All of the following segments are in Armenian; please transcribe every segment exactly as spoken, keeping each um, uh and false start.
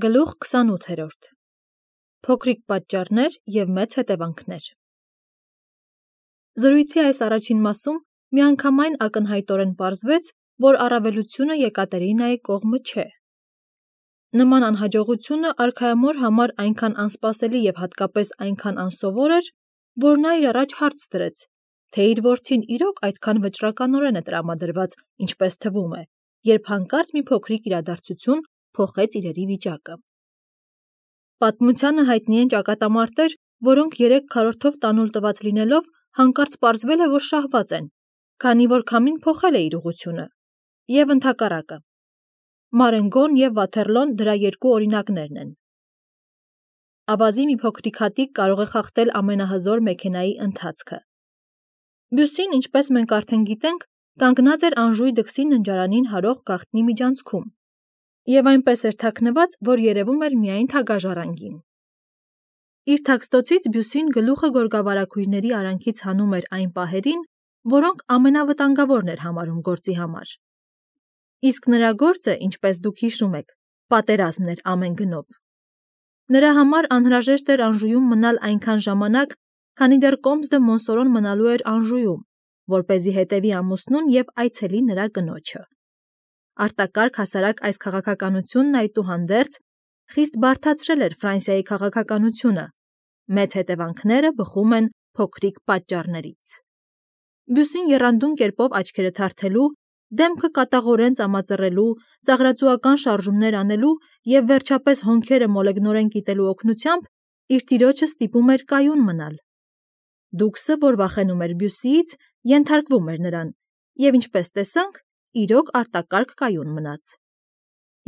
Գլուխ քսանութերորդ Փոքրիկ պատճառներ և մեծ հետևանքներ Զրույցի այս առաջին մասում միանգամայն ակնհայտորեն պարզվեց, որ առավելությունը Եկատերինայի կողմը չէ։ Նման անհաջողությունը արքայամոր համար այնքան անսպասելի և հատկապես այնքան անսովոր էր, որ նա իր առաջ հարց դրեց, թե իր որդին իրոք այդքան վճռականորեն է տրամադրված, ինչպես թվում է, երբ հանկարծ մի փոքրիկ իրադարձություն փոխեց իրերի վիճակը։ Պատմությանը հայտնի են ճակատամարտեր, որոնք երեք քառորդով տանուլ տված լինելով, հանկարծ պարզվել է, որ շահված են, քանի որ քամին փոխել է իր ուղղությունը, և ընդհակառակը։ Մարենգոն և Վաթերլոն դրա երկու օրինակներն են։ Ավազի մի փոքրիկ հատիկ կարող է խախտել ամենահզոր մեքենայի ընթացքը։ Բյուսին, ինչպես մենք արդեն գիտենք, կանգնած էր Անժուի դքսի ննջարանին հարող գաղտնի միջանցքում, և այնպես էր թաքնված, որ երևում էր միայն թագաժառանգին։ Իր թաքստոցից Բյուսին գլուխը գորգավարագույրների արանքից հանում էր այն պահերին, որոնք ամենավտանգավորն էր համարում գործի համար։ Իսկ նրա գործը, ինչպես դուք հիշում եք, պատերազմն էր ամեն գնով։ Նրա համար անհրաժեշտ էր Անժուում մնալ այնքան ժամանակ, քանի դեռ Կոմս դը Մոնսորոն մնալու էր Անժուում, որպեսզի հետևի ամուսնուն և այցելի նրա կնոջը։ Արտակարգ հասարակ այս քաղաքականությունն այդուհանդերձ խիստ բարդացրել էր Ֆրանսիայի քաղաքականությունը, մեծ հետևանքները բխում են փոքրիկ պատճառներից։ Բյուսին եռանդուն կերպով աչքերը թարթելու, դեմքը կատաղորեն ծամածռելու, ծաղրածուական շարժումներ անելու և վերջապես հոնքերը մոլեգնորեն կիտելու օգնությամբ իր տիրոջը ստիպում էր կայուն մնալ։ Դուքսը, որ վախենում էր Բյուսիից, ենթարկվում էր նրան, և ինչպես տեսանք, իրոք արտակարգ կայուն մնաց։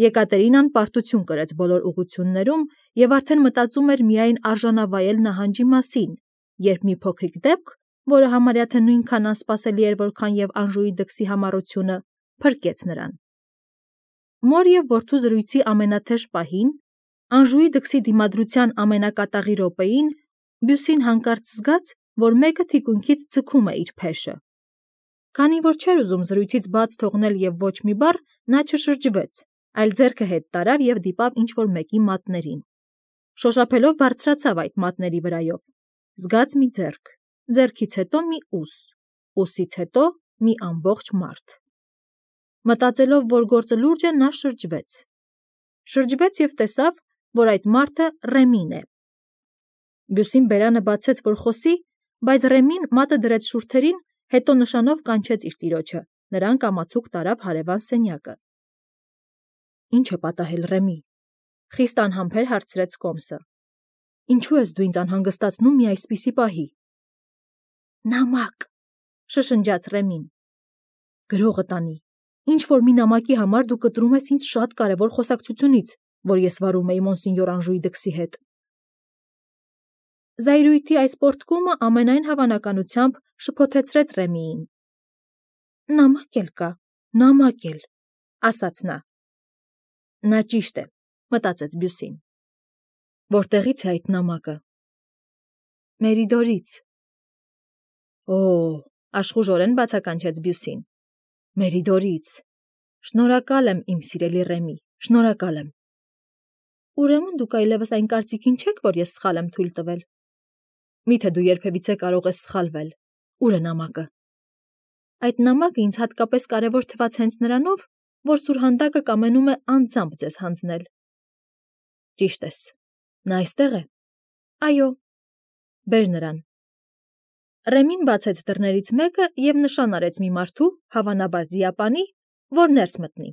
Եկատերինան պարտություն կրեց բոլոր ուղղություններում և արդեն մտածում էր միայն արժանավայել նահանջի մասին, երբ մի փոքրիկ դեպք, որը համարյա թե նույնքան անսպասելի էր, որքան և Անժուի դքսի համառությունը, փրկեց նրան։ Մոր և որդու զրույցի ամենաթեժ պահին, Անժուի դքսի դիմադրության ամենակատաղի րոպեին, Բյուսին հանկարծ զգաց, որ մեկը թիկունքից ձգում է իր փեշը։ Քանի որ չէր ուզում զրույցից բաց թողնել և ոչ մի բառ, նա չշրջվեց, այլ ձեռքը հետ տարավ և դիպավ ինչ-որ մեկի մատներին։ Շոշափելով բարձրացավ այդ մատների վրայով, զգաց մի ձեռք, ձեռքից հետո մի ուս, ուսից հետո մի ամբողջ մարդ։ Մտածելով, որ գործը լուրջ է, նա շրջվեց։ Շրջվեց և տեսավ, որ այդ մարդը Ռեմին է։ Բյուսին բերանը բացեց, որ խոսի, բայց Ռեմին մատը դրեց շուրթերին, հետո նշանով կանչեց իր տիրոջը, նրան կամացուկ տարավ հարևան սենյակը։ Ի՞նչ է պատահել, Ռեմի, խիստ անհամբեր հարցրեց Կոմսը։ Ինչու ես դու ինձ անհանգստացնում մի այսպիսի պահի։ Նամակ, շշնջաց Ռեմին։ Գրողը տանի, ինչ-որ մի նամակի համար դու կտրում ես ինձ շատ կարևոր խոսակցությունից, որ ես վարում էի Մոնսինյոր Անժուի դքսի հետ։ Զայրույթի այս պոռթկումը ամենայն հավանականությամբ շփոթեցրեց Ռեմիին։ Նամակ էլ կա, նամակ էլ, ասաց նա։ Նա ճիշտ է, մտածեց Բյուսին։ Որտեղից է այդ նամակը։ Մերիդորից։ Օ, աշխուժորեն բացականչեց Բյուսին։ Մերիդորից։ Շնորհակալ եմ, իմ սիրելի Ռեմի, շնորհակալ եմ։ Ուրեմն դուք այլևս այն կարծիքին չեք, որ ես սխալ եմ թույլ տվել։ Միթե դու երբևիցե կարող ես սխալվել։ Ուր է նամակը։ Այդ նամակը ինձ հատկապես կարևոր թվաց հենց նրանով, որ սուրհանդակը կամենում է անձամբ ձեզ հանձնել։ Ճիշտ ես, նա այստեղ է։ Այո։ Բեր նրան։ Ռեմին բացեց դռներից մեկը և նշան արեց մի մարդու, հավանաբար ձիապանի, որ ներս մտնի։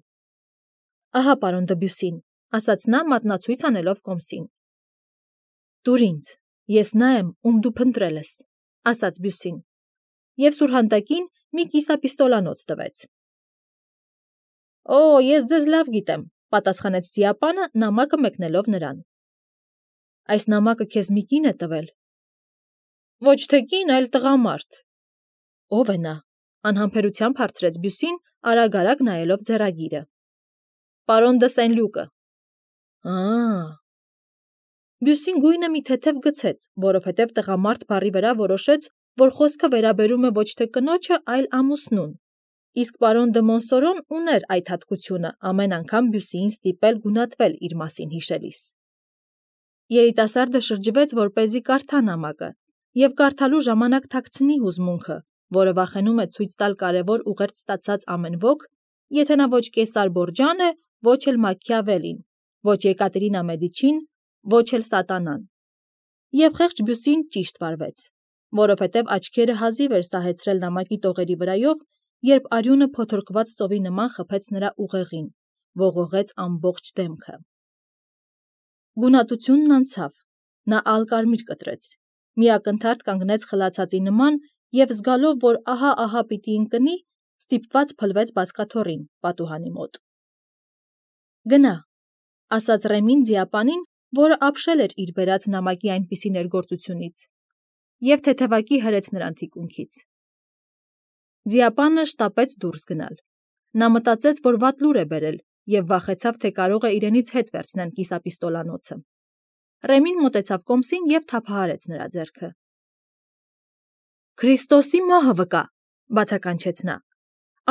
Ահա, պարոն Դբյուսին, ասաց նա մատնացույց անելով Կոմսին։ Տուր ինձ, ես նա եմ, ում դու փնտրել ես, ասաց Բյուսին, և սուրհանդակին մի կիսապիստոլանոց տվեց։ Օ, ես ձեզ լավ գիտեմ, պատասխանեց ձիապանը, նամակը մեկնելով նրան։ Այս նամակը քեզ մի կին է տվել։ Ոչ թե կին, այլ տղամարդ։ Ո՞վ է նա, անհամբերությամբ հարցրեց Բյուսին, արագ-արագ նայելով ձեռագիրը։ Պարոն դը Սենլյուկը։ Ա՜։ Բյուսին գույնը մի թեթև գցեց, որովհետև տղամարդ բառի վրա որոշեց, որ խոսքը վերաբերում է ոչ թե կնոջը, այլ ամուսնուն, Իսկ պարոն դը Մոնսորոն ուներ այդ հատկությունը ամեն անգամ Բյուսիին ստիպել գունատվել իր մասին հիշելիս։ Երիտասարդը շրջվեց, որպեսզի կարդա նամակը, և կարդալու ժամանակ թաքցնի հուզմունքը, որը վախենում է ցույց տալ կարևոր ուղերձ ստացած ամեն ոք, եթե նա ոչ Կեսար Բորջան է, ոչ էլ Մաքիավելին, ոչ Եկատերինա Մեդիչին, ոչ էլ Սատանան։ Եվ խեղճ Բյուսին ճիշտ վարվեց, որովհետև աչքերը հազիվ էր սահեցրել նամակի տողերի վրայով, երբ արյունը փոթորկված ծովի նման խփեց նրա ուղեղին, ողողեց ամբողջ դեմքը։ Գունատությունն անցավ, նա ալկարմիր կտրեց, միակնթարթ կանգնեց խլացածի նման և զգալով, որ ահա-ահա պիտի ընկնի, ստիպված փլվեց բազկաթոռին, պատուհանի մոտ։ Գնա, ասաց Ռեմին ձիապանին, որը ապշել էր իր բերած նամակի այնպիսի ներգործությունից, և թեթևակի հրեց նրան թիկունքից։ Ձիապանը շտապեց դուրս գնալ։ Նա մտածեց, որ վատ լուր է բերել, և վախեցավ, թե կարող է իրենից հետ վերցնեն կիսապիստոլանոցը։ Ռեմին մոտեցավ կոմսին և թափահարեց նրա ձեռքը։ Քրիստոսի մահը վկա, բացականչեց նա։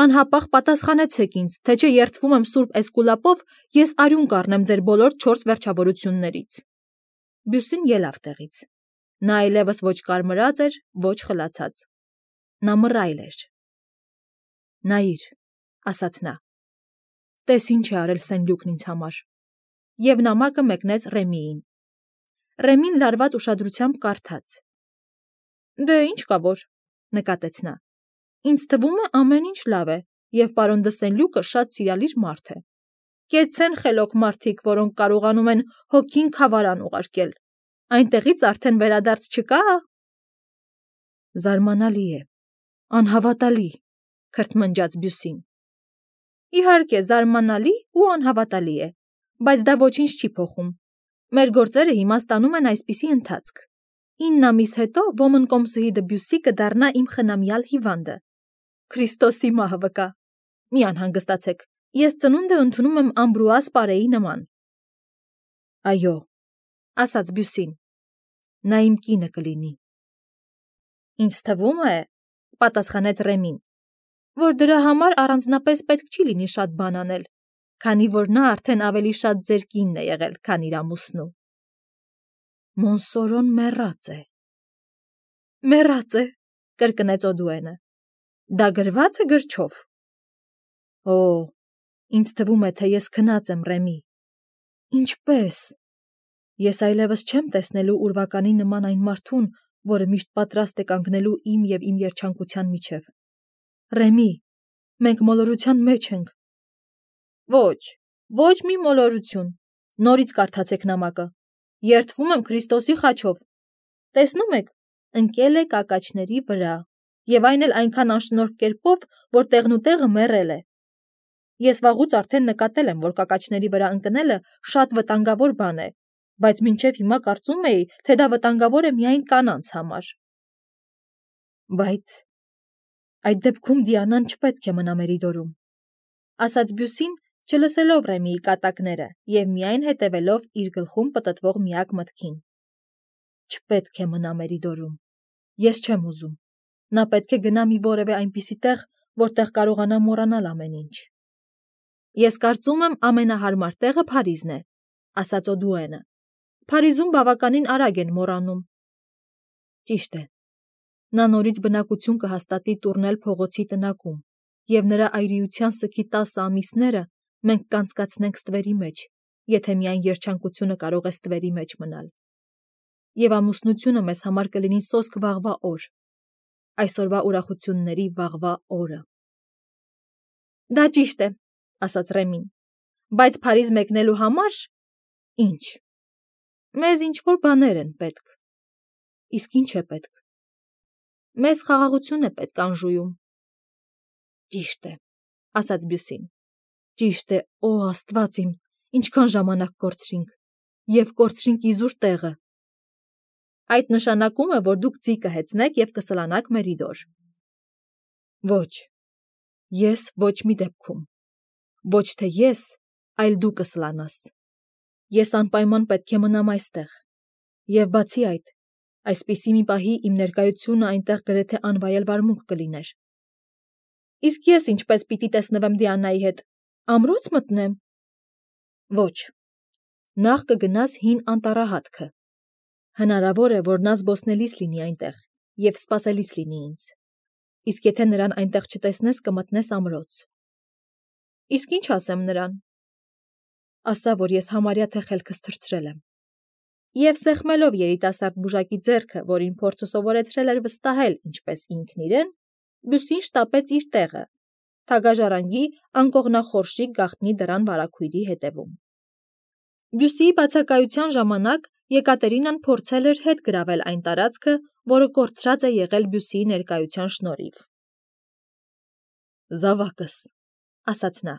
Անհապաղ պատասխանեցեք ինձ, թե չէ երդվում եմ Սուրբ Էսկուլապով, ես արյուն կառնեմ ձեր բոլոր չորս վերջավորություններից։ Բյուսին ելավ տեղից։ Նա այլևս ոչ կարմրած էր, ոչ խլացած։ Նա մռայլ էր։ Նայիր, ասաց նա։ Տես ինչ է արել Սենլյուկն ինձ համար։ Եվ նամակը մեկնեց Ռեմիին։ Ռեմին լարված ուշադրությամբ կարդաց։ Դե ինչ կա որ, նկատեց նա։ Ինձ թվում է ամեն ինչ լավ է, և պարոն դը Սենլյուկը շատ սիրալիր մարդ է։ Կեցցեն խելոք մարդիկ, որոնք կարողանում են հոգին քավարան ուղարկել։ Այնտեղից արդեն վերադարձ չկա։ Զարմանալի է, անհավատալի, քրթմնջաց Բյուսին։ Իհարկե, զարմանալի ու անհավատալի է, բայց դա ոչինչ չի փոխում։ Մեր գործերը հիմա ստանում են այսպիսի ընթացք։ Ինն ամիս հետո ոմն կոմսուհի Դբյուսի կդառնա իմ խնամյալ հիվանդը։ Քրիստոսի մահը վկա։ Մի անհանգստացեք, ես ծնունդը ընդունում եմ Ամբրուաս Պարեի նման։ Այո, ասաց Բյուսին, նա իմ կինը կլինի։ Ինձ թվում է, պատասխանեց Ռեմին, որ դրա համար առանձնապես պետք չի լինի շատ բան անել, քանի որ նա արդեն ավելի շատ ձեր կինն է եղել, քան իր ամուսնու։ Մոնսորոն մեռած է։ Մեռած է, կրկնեց Օդուենը։ Դա գրված է գրչով։ Օ, ինձ թվում է, թե ես քնած եմ, Ռեմի։ Ինչպե՞ս։ Ես այլևս չեմ տեսնելու ուրվականի նման այն մարդուն, որը միշտ պատրաստ է կանգնելու իմ և իմ երջանկության միջև։ Ռեմի, մենք մոլորության մեջ ենք։ Ոչ, ոչ մի մոլորություն։ Նորից կարդացեք նամակը։ Երդվում եմ Քրիստոսի խաչով։ Տեսնում եք, ընկել է կակաչների վրա, և այն էլ այնքան անշնորհ կերպով, որ տեղնուտեղը մեռել է։ Ես վաղուց արդեն նկատել եմ, որ կակաչների վրա ընկնելը շատ վտանգավոր բան է, բայց մինչև հիմա կարծում էի, թե դա վտանգավոր է միայն կանանց համար։ Բայց այդ դեպքում Դիանան չպետք է մնա Մերիդորում, ասաց Բյուսին, չլսելով Ռեմիի կատակները և միայն հետևելով իր գլխում պտտվող միակ մտքին։ Չպետք է մնա Մերիդորում։ Ես չեմ ուզում։ Նա պետք է գնա մի որևէ այնպիսի տեղ, որտեղ կարողանա մոռանալ ամեն ինչ։ Ես կարծում եմ ամենահարմար տեղը Փարիզն է, ասաց Օդուենը։ Փարիզում բավականին արագ են մոռանում։ Ճիշտ է։ Նա նորից բնակություն կհաստատի Տուրնել փողոցի տնակում, և նրա այրիության սգի տասը ամիսները մենք կանցկացնենք ստվերի մեջ, եթե միայն երջանկությունը կարող է ստվերի մեջ մնալ։ Եվ ամուսնությունը մեզ համար կլինի սոսկ վաղվա օր, այսօրվա ուրախությունների վաղվա օրը։ Դա ճիշտ է, ասաց Ռեմին, բայց Փարիզ մեկնելու համար ինչ։ Մեզ ինչ-որ բաներ են պետք։ Իսկ ինչ է պետք։ Մեզ խաղաղություն է պետք Անժուում։ Ճիշտ է, ասաց Բյուսին։ Ճիշտ է, օ Աստված իմ, ինչքան ժամանակ կորցրինք, և կորցրինք իզուր տեղը։ Այդ նշանակում է, որ դուք ձի կհեծնեք և կսլանաք Մերիդոր։ Ոչ, ես ոչ մի դեպքում։ Ոչ թե ես, այլ դու կսլանաս։ Ես անպայման պետք է մնամ այստեղ։ Եվ բացի այդ, այսպիսի մի պահի իմ ներկայությունը այնտեղ գրեթե անվայել վարմունք կլիներ։ Իսկ ես ինչպես պիտի տեսնվեմ Դիանայի հետ, ամրոց մտնեմ։ Ոչ, նախ կգնաս հին անտառահատքը։ Հնարավոր է, որ նա զբոսնելիս լինի այնտեղ և սպասելիս լինի ինձ։ Իսկ եթե նրան այնտեղ չտեսնես, կմտնես ամրոց։ Իսկ ինչ ասեմ նրան։ Ասա, որ ես համարյա թե խելքս թռցրել եմ։ Եվ սեղմելով երիտասարդ բուժակի ձեռքը, որին փորձը սովորեցրել էր վստահել ինչպես ինքն իրեն, Բյուսին շտապեց իր տեղը, թագաժառանգի անկողնախորշի գաղտնի դռան վարագույրի հետևում։ Բյուսիի բացակայության ժամանակ Եկատերինան փորձել էր հետ գրավել այն տարածքը, որը կորցրած է եղել Բյուսիի ներկայության շնորհիվ։ Զավակս, ասաց նա,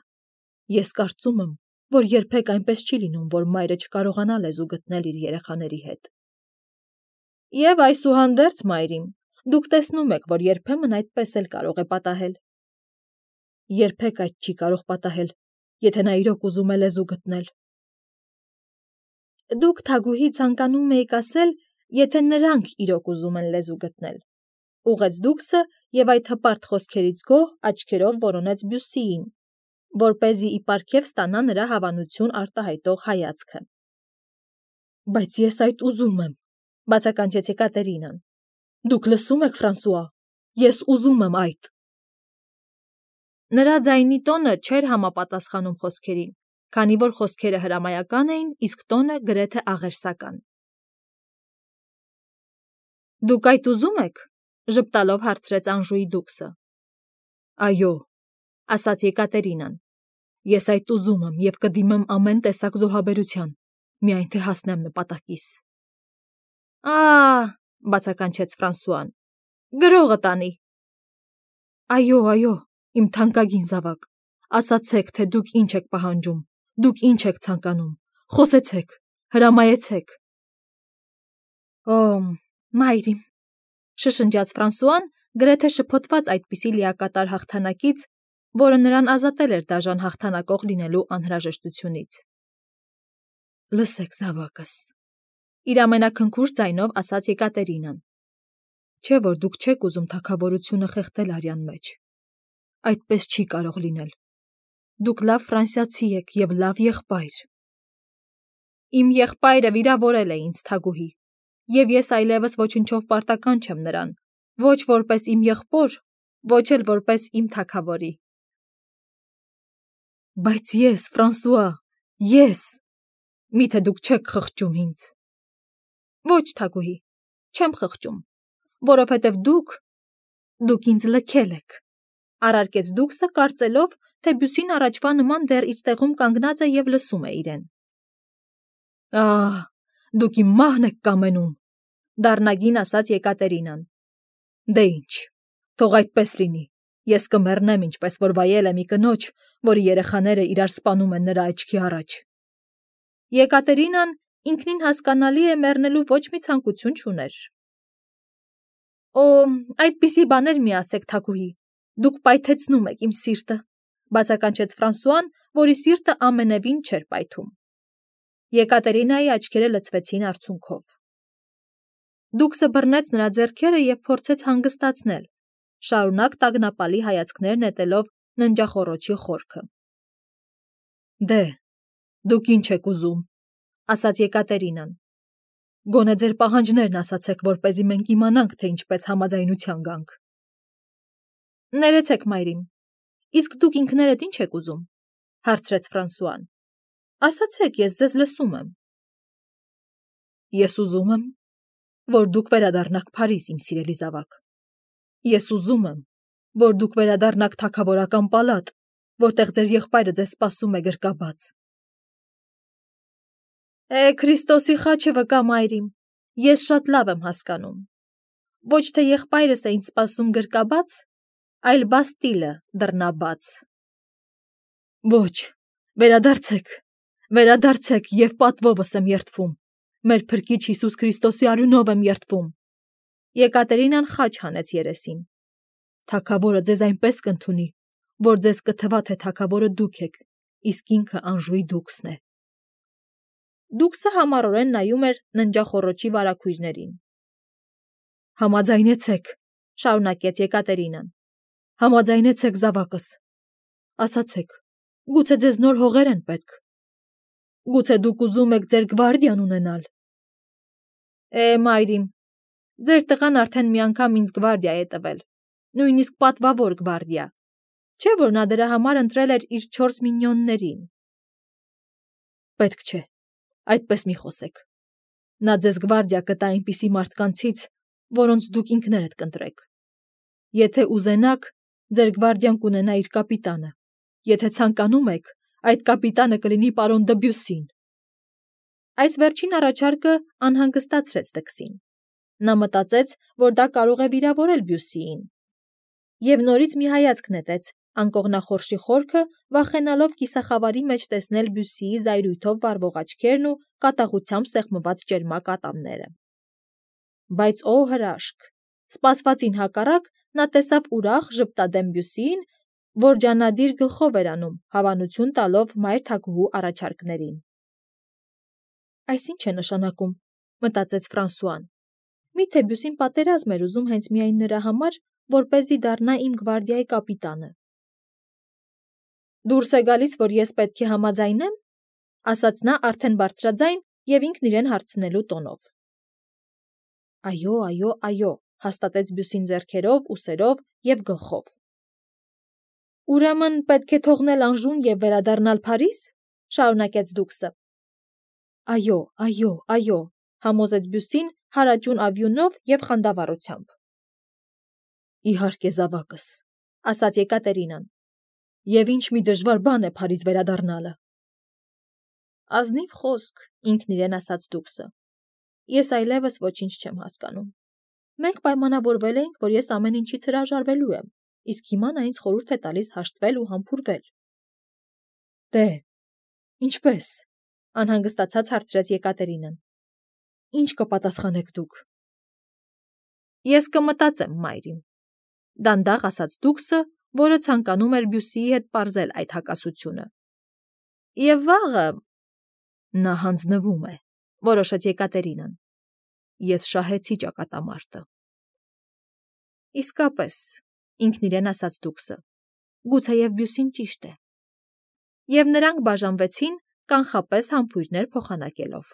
ես կարծում եմ, որ երբեք այնպես չի լինում, որ մայրը չկարողանա լեզու գտնել իր երեխաների հետ։ Եվ այսուհանդերձ, մայրիմ, դուք տեսնում եք, որ երբեմն այդպես էլ կարող է պատահել։ Երբեք այդ չի կարող պատահել, եթե նա իրոք ուզում է լեզու գտնել։ Դուք Թագուհի ցանկանում եք ասել, եթե նրանք իրոք ուզում են լեզու գտնել, ուղղեց Դուքսը և այդ հպարտ խոսքերից գոհ աչքերով որոնեց Բյուսիին, որպեսզի ի պարգև ստանա նրա հավանություն արտահայտող հայացքը։ Բայց ես այդ ուզում եմ, բացականչեց Եկատերինան։ Դուք լսում եք, Ֆրանսուଆ, ես ուզում եմ այդ։ Նրա ձայնի տոնը չէր համապատասխանում խոսքերին, քանի որ խոսքերը հրամայական էին, իսկ տոնը գրեթե աղերսական։ Դուք այդ ուզում եք, ժպտալով հարցրեց Անժուի Դուքսը։ Այո, ասաց Եկատերինան, ես այդ ուզում եմ և կդիմեմ ամեն տեսակ զոհաբերության, միայն թե հասնեմ նպատակիս։ Ա՜, բացականչեց Ֆրանսուան, գրողը տանի։ Այո, այո, իմ թանկագին զավակ, ասացեք, թե դուք ինչ եք պահանջում, դուք ինչ եք ցանկանում, խոսեցեք, հրամայեցեք։ Օ, մայրիմ, շշնջաց Ֆրանսուան, գրեթե շփոթված այդպիսի լիակատար հաղթանակից, որը նրան ազատել էր դաժան հաղթանակող լինելու անհրաժեշտությունից։ Լսեք, զավակս, իր ամենաքնքուշ ձայնով ասաց Եկատերինան։ Չէ՞ որ դուք չեք ուզում թագավորությունը խեղդել արյան մեջ։ Այդպես չի կարող լինել։ Դուք լավ ֆրանսիացի եք և լավ եղբայր։ Իմ եղբայրը վիրավորել է ինձ, Թագուհի, և ես այլևս ոչնչով պարտական չեմ նրան, ոչ որպես իմ եղբոր, ոչ էլ որպես իմ թագավորի։ Բայց ես, Ֆրանսուଆ, ես, միթե դուք չեք խղճում ինձ։ Ոչ, Թագուհի, չեմ խղճում, որովհետև դուք, դուք ինձ լքել եք, առարկեց Դուքսը, կարծելով, թե Բյուսին առաջվա նման դեռ իր տեղում կանգնած է և լսում է իրեն։ Ահ, դուք իմ մահն եք կամենում, դառնագին ասաց Եկատերինան։ Դե ինչ, թող այդպես լինի, ես կմեռնեմ, ինչպես որ վայել եմ մի կնոջ, որի երեխաները իրար սպանում են նրա աչքի առաջ։ Եկատերինան ինքնին հասկանալի է մեռնելու ոչ մի ցանկություն չուներ։ Օ, այդպիսի բաներ մի ասեք, Թագուհի, դուք պայթեցնում եք իմ սիրտը, բացականչեց Ֆրանսուան, որի սիրտը ամենևին չէր պայթում։ Եկատերինայի աչքերը լցվեցին արցունքով։ Դուքսը բռնեց նրա ձեռքերը և փորձեց հանգստացնել, շարունակ տագնապալի հայացքներ նետելով ննջախոռոչի խորքը։ Դե, դուք ինչ եք ուզում, ասաց Եկատերինան։ Գոնե ձեր պահանջներն ասացեք, որպեսզի մենք իմանանք, թե ինչպես համաձայնության գանք։ Ներեցեք, մայրիմ, իսկ դուք ինքներդ ինչ եք ուզում, հարցրեց Ֆրանսուան։ Ասացեք, ես ձեզ լսում եմ։ Ես ուզում եմ, որ դուք վերադառնաք Փարիզ, իմ սիրելի զավակ։ Ես ուզում եմ, որ դուք վերադառնաք թագավորական պալատ, որտեղ ձեր եղբայրը ձեզ սպասում է գրկաբաց։ Է, Քրիստոսի խաչը վկա, մայրիմ, ես շատ լավ եմ հասկանում։ Ոչ թե եղբայրս է ինձ սպասում գրկաբաց, այլ Բաստիլը դռնաբաց։ Ոչ, վերադարձեք, վերադարձեք և պատվովս եմ երդվում, մեր Փրկիչ Հիսուս Քրիստոսի արյունով եմ երդվում։ Եկատերինան խաչ հանեց երեսին։ Թագավորը ձեզ այնպես կընդունի, որ ձեզ կթվա, թե թագավորը դուք եք, իսկ ինքը Անժուի Դուքսն է։ Դուքսը համառորեն նայում էր ննջախոռոչի վարագույրներին։ Համաձայնեցեք, շարունակեց Եկատերինան։ Համաձայնեցեք զավակս։ Ասացեք, գուցե ձեզ նոր հողեր են պետք։ Գուցե դուք ուզում եք ձեր գվարդիան ունենալ։ Է, մայրիմ, ձեր տղան արդեն մի անգամ ինձ գվարդիա է տվել, նույնիսկ պատվավոր գվարդիա, չէ՞ որ նա դրա համար ընտրել էր իր չորս մինյոններին։ Պետք չէ, այդպես մի խոսեք։ Նա ձեզ գվարդիա կտա այնպիսի մարդկանցից, որոնց դուք ինքներդ կընտրեք։ Եթե ուզենաք, ձեր գվարդիան կունենա իր կապիտանը։ Եթե ցանկանում եք, այդ կապիտանը կլինի պարոն Դբյուսին։ Այս վերջին առաջարկը անհանգստացրեց Դքսին։ Նա մտածեց, որ դա կարող է վիրավորել Բյուսիին։ Եվ նորից մի հայացք նետեց անկողնախորշի խորքը, վախենալով կիսախավարի մեջ տեսնել Բյուսիի զայրույթով վառվող աչքերն ու կատաղությամբ սեղմված ճերմակ ատամները։ Բայց օ հրաշք, սպասվածին հակառակ նա տեսավ ուրախ ժպտադեմ Բյուսիին, որ ջանադիր գլխով էր անում, հավանություն տալով մայր թագուհու առաջարկներին։ Այս ի՞նչ է նշանակում, մտածեց Ֆրանսուան։ Միթե Բյուսին պատերազմ էր ուզում հենց միայն նրա համար, որպեսզի դառնա իմ գվարդիայի կապիտանը։ Դուրս է գալիս, որ ես պետք է համաձայնեմ, ասաց նա արդեն բարձրաձայն եւ ինքն իրեն հարցնելու տոնով։ Այո, այո, այո, հաստատեց Բյուսին ձեռքերով, ուսերով եւ գլխով։ Ուրեմն պետք է թողնել Անժուն եւ վերադառնալ Փարիզ, շարունակեց Դուքսը։ Այո, այո, այո, համոզեց Բյուսին հարաճուն ավյունով եւ խանդավառությամբ։ Իհարկե, զավակս, ասաց Եկատերինան։ Եվ ինչ մի դժվար բան է Փարիզ վերադառնալը։ Ազնիվ խոսք, ինքն իրեն ասաց Դուքսը։ Ես այլևս ոչինչ չեմ հասկանում։ Մենք պայմանավորվել էինք, որ ես ամեն ինչից հրաժարվելու եմ, իսկ հիմա նա ինձ խորհուրդ է տալիս հաշտվել ու համբուրվել։ Դե, ինչպես, անհանգստացած հարցրեց Եկատերինան։ Ինչ կպատասխանեք դուք։ Ես կմտածեմ, մայրիմ, դանդաղ ասաց Դուքսը, որը ցանկանում էր Բյուսիի հետ պարզել այդ հակասությունը։ Եվ վաղը նա հանձնվում է, որոշեց Եկատերինան։ Ես շահեցի ճակատամարտը։ Իսկապես, ինքն իրեն ասաց Դուքսը, գուցեև Բյուսին ճիշտ է։ Եվ նրանք բաժանվեցին, կանխապես համբույրներ փոխանակելով։